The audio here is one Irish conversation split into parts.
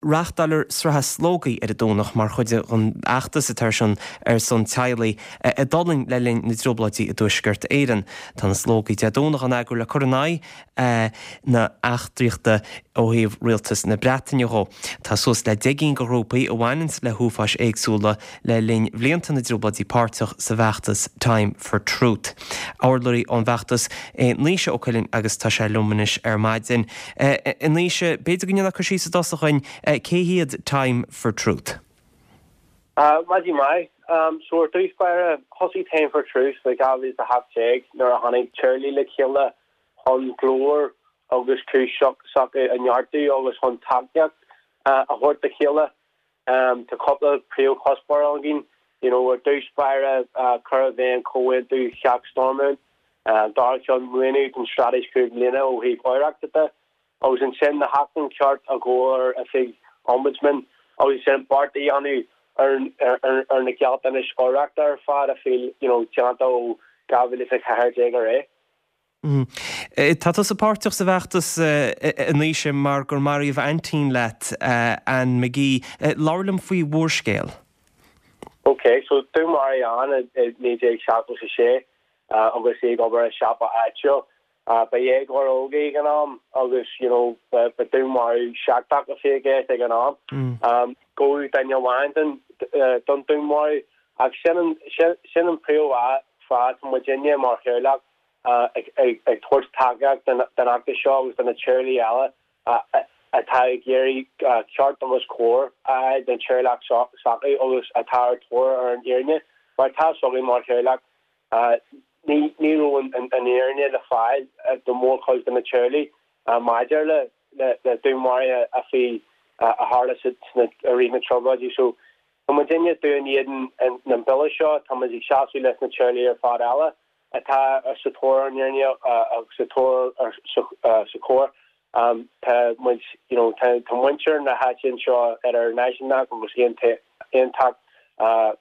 Reáchtáiltear sraith slógaí ar an Domhnach mar chuid den fheachtas atá ar siúl ar son teaghlaigh a d'fhulaing le linn na dTrioblóidí i dTuaisceart Éireann. Tá na slógaí Dé Domhnaigh á n-eagrú le cur in aghaidh na heachtraíochta ó thaobh Rialtas na Breataine dhó. Tá suas le 10 gcinn de ghrúpaí a bhaineanns le huafáis éagsúla le linn bhlianta na dTrioblóidí páirteach sa bhfeachtas Time for Truth. Urlabhraí ón bhfeachtas é Naoise Ó Cuilinn agus tá sé liom anois ar maidin. A Naoise, b'fhéidir go ndéanfá cur síos i dtosach dhuinn, cé hiad Time for Truth? Maidin mhaith. So ar dtús báire, thosaigh Time for Truth i 2018 nuair a tháinig teaghlaigh le chéile chun glór agus cúis s'acu a neartú agus chun tacaíocht a thabhairt dá chéile. Tá cúpla príomhchuspóir againn, you know, ar dtús báire, cur i bhfeidhm Chomhaontú Theach Stormont, an dara ceann, maoiniú don Straitéis 5 mbliana ó thaobh oidhreachta de, agus ansin na hacmhainn ceart a ghabháil ar Oifig Ombudsman, agus ansin beart a dhéanamh ar ar na gealltanais oidhreachta ar fad a bhí, you know, déanta ó 2014 ar aghaidh. Tá tusa páirteach sa bhfeachtas, a Naoise, mar gur maraíodh aintín leat, Anne McGee. Labhair liom faoi bhur scéal. Ok, so dúnmaraíodh Anne i 1976 agus í ag obair i siopa áitiúil. Ba dhéagóir óg í ag an am agus, you know, ba dúnmharú seicteach a bhí i gceist ag an am. Gabhadh duine amháin don dúnmharú ach sin an príomhfháth tá muidinne mar theaghlach ag tabhairt tacaíocht don fheachtas seo agus do na teaghlaigh eile atá ag iarraidh ceart agus cóir a fháil don teaghlach s'acu agus atá ar tóir ar an fhírinne. Mar tá 'fhios againn mar theaghlach, ní raibh an fhírinne le fáil do mhórchuid de na teaghlaigh maidir le dúnmharuithe a bhí a tharla i rith na dTrioblóidí. So tá muidinne dún éadan an bille seo, tá muid ag seasamh leis na teaghlaigh ar fad eile. atá sa tóir ar an fhírinne agus sa tóir sa chóir. Tá muid, you know, tá muintir na háite anseo idir náisiúnach agus aontachtach,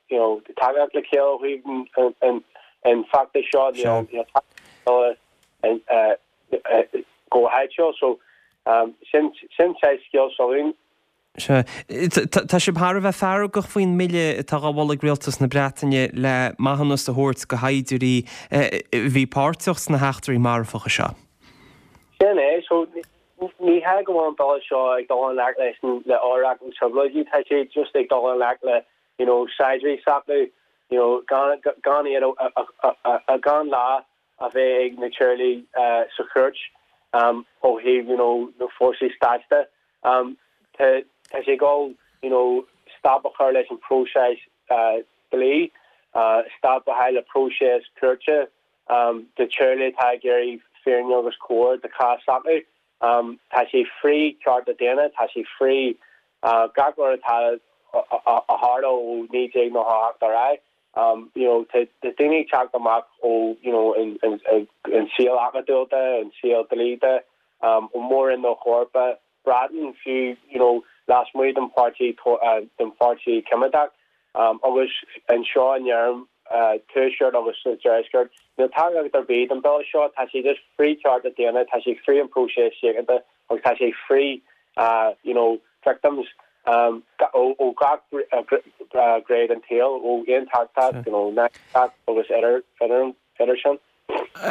you know, tacaíocht le chéile ó thaobh an feachtais seo, you know, go háitiúil. So, sin saghas scéal s'againn. Sea. Tá sibh thar a bheith feargach faoin mbille atá á mholadh ag Rialtas na Breataine le maithiúnas a thabhairt do shaighdiúirí a bhí páirteach sna heachtraí marfacha seo. Sin é. So, ní hea go bhfuil an bille seo ag dul i ngleic leis an, le oidhreacht na dTrioblóidí, tá sé just ag dul i ngleic le, you know, saighdiúirí s'acu, you know, gan, gan iad a, a, a, gan lá a bheith ag na teaghlaigh sa chúirt ó thaobh you know na fórsaí stáit de. Tá sé ag dul you know stop a chur leis an próiseas dlí, stop a chur le próiseas cúirte do teaghlaigh atá ag iarraidh fírinne agus cóir do chás s'acu. Tá sé frith cearta daonna, tá sé frith gach rud atá a tharla ó 1998 ar aghaidh. You know tá daoine ag teacht amach ó you know an saol acadúil de, an saol dlí de, ó Mhór-Roinn na hEorpa, Breatain fiú you know lasmuigh den pháirtí den pháirtí coimeádach agus anseo in Éirinn, tuaisceart agus sa deisceart. Níl tacaíocht ar bith don bille seo, tá sé just frith cearta daonna, tá sé frith an próiseas síochánta agus tá sé frith you know victims ó gach gné den tsaol, ó aontachtach you know náisiúnach agus idir sin.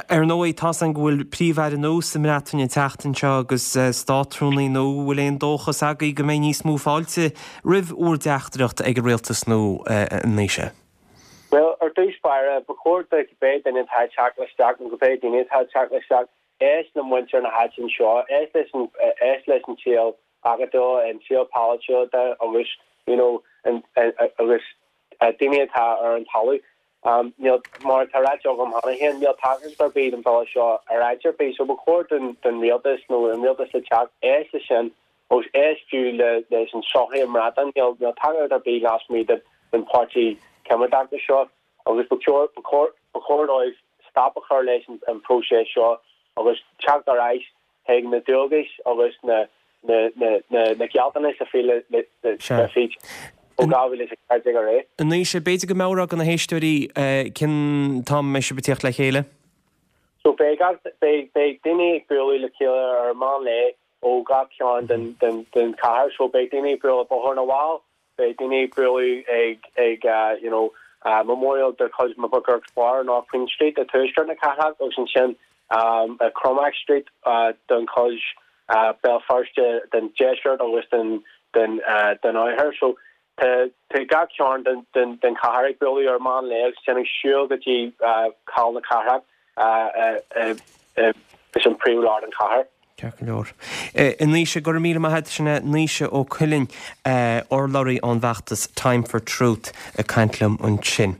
Ar ndóigh, tá's againn go bhfuil Príomh-Aire nua sa mBreatain an tseachtain seo agus Státrúnaí nua. Bhfuil aon dóchas agaibh go mbeidh níos mó fáilte roimh bhur dteachtaireacht ag an rialtas nua, a Naoise? Bhuel, ar dtús báire, ba chóir do cibé duine atá ag teacht isteach nó cibé daoine atá ag teacht isteach, éist le muintir na háite anseo, éist leis an, éist leis an saol acadúil, an saol polaitiúil de agus, you know, agus daoine atá ar an talamh. Níl, mar atá ráite agam cheana féin, níl tacaíocht ar bith don bhille seo ar áit ar bith, so ba chóir don don rialtas nó an rialtas le teacht éist leis sin agus éist fiú le leis an sochaí i mBreatain. Níl níl tacaíocht ar bith lasmuigh de den páirtí coimeádach seo agus ba chóir ba chóir ba chóir dóibh stop a chur leis an an próiseas seo agus teacht ar ais chuig na dualgais agus na na gealltanais a bhí le le fí ó 2014 ar aghaidh. A Naoise, b'fhéidir go meabhrófá do na héisteoirí cén t-am a mbeidh sibh ag tíocht le chéile? So beidh beidh beidh daoine ag bualadh le chéile ar meán lae. ó gach cearn den den chathair. So beidh daoine ag bualadh Bóthar na bhFál, beidh daoine ag bualadh ag ag you know memorial de chuid McGuirk's Bar North Queen Street i tuaisceart na cathrach agus ansin i Cromac Street don chuid Béal Feirste den deisceart agus den den den oirthear. So tá tá gach cearn den den den chathair ag bualadh ar meán lae agus ansin ag siúl go dtí Cathal na Cathrach is an príomhlár den chathair. Ceart go leor. A Naoise, go raibh míle maith agat. Sin é Naoise Ó Cuilinn, urlabhraí ón bhfeachtas Time for Truth ag caint liom ansin.